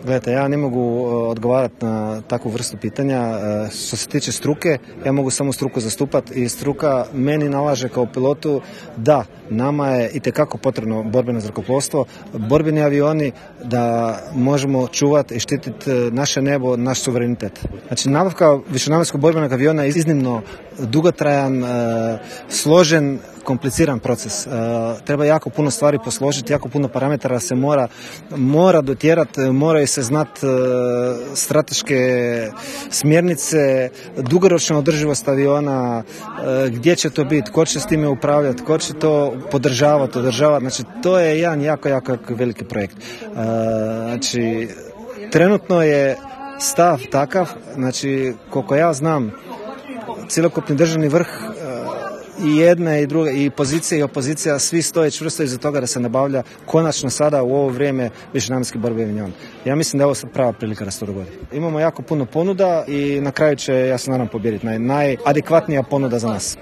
Gledajte, ja ne mogu odgovarati na takvu vrstu pitanja. Što se tiče struke, ja mogu samo struku zastupati i struka meni nalaže kao pilotu da nama je itekako potrebno borbeno zrakoplovstvo, borbeni avioni da možemo čuvati i štititi naše nebo, naš suverenitet. Znači, nabavka višenamjenskog borbenog aviona je iznimno dugotrajan, složen, kompliciran proces. Treba jako puno stvari posložiti, jako puno parametara se mora dotjerati, moraju se znati strateške smjernice, dugoročna održivost aviona, gdje će to biti, ko će s time upravljati, ko će to podržavati, održavati. Znači, to je jedan jako veliki projekt. Znači, trenutno je stav takav, znači, koliko ja znam, cjelokupni državni vrh i jedna i druga, i pozicija i opozicija, svi stoje čvrsto iza toga da se nabavlja konačno sada u ovo vrijeme višenamjenski borbeni avion. Ja mislim da je ovo sad prava prilika da se to dogodi. Imamo jako puno ponuda i na kraju će, ja se nadam, pobijediti najadekvatnija ponuda za nas.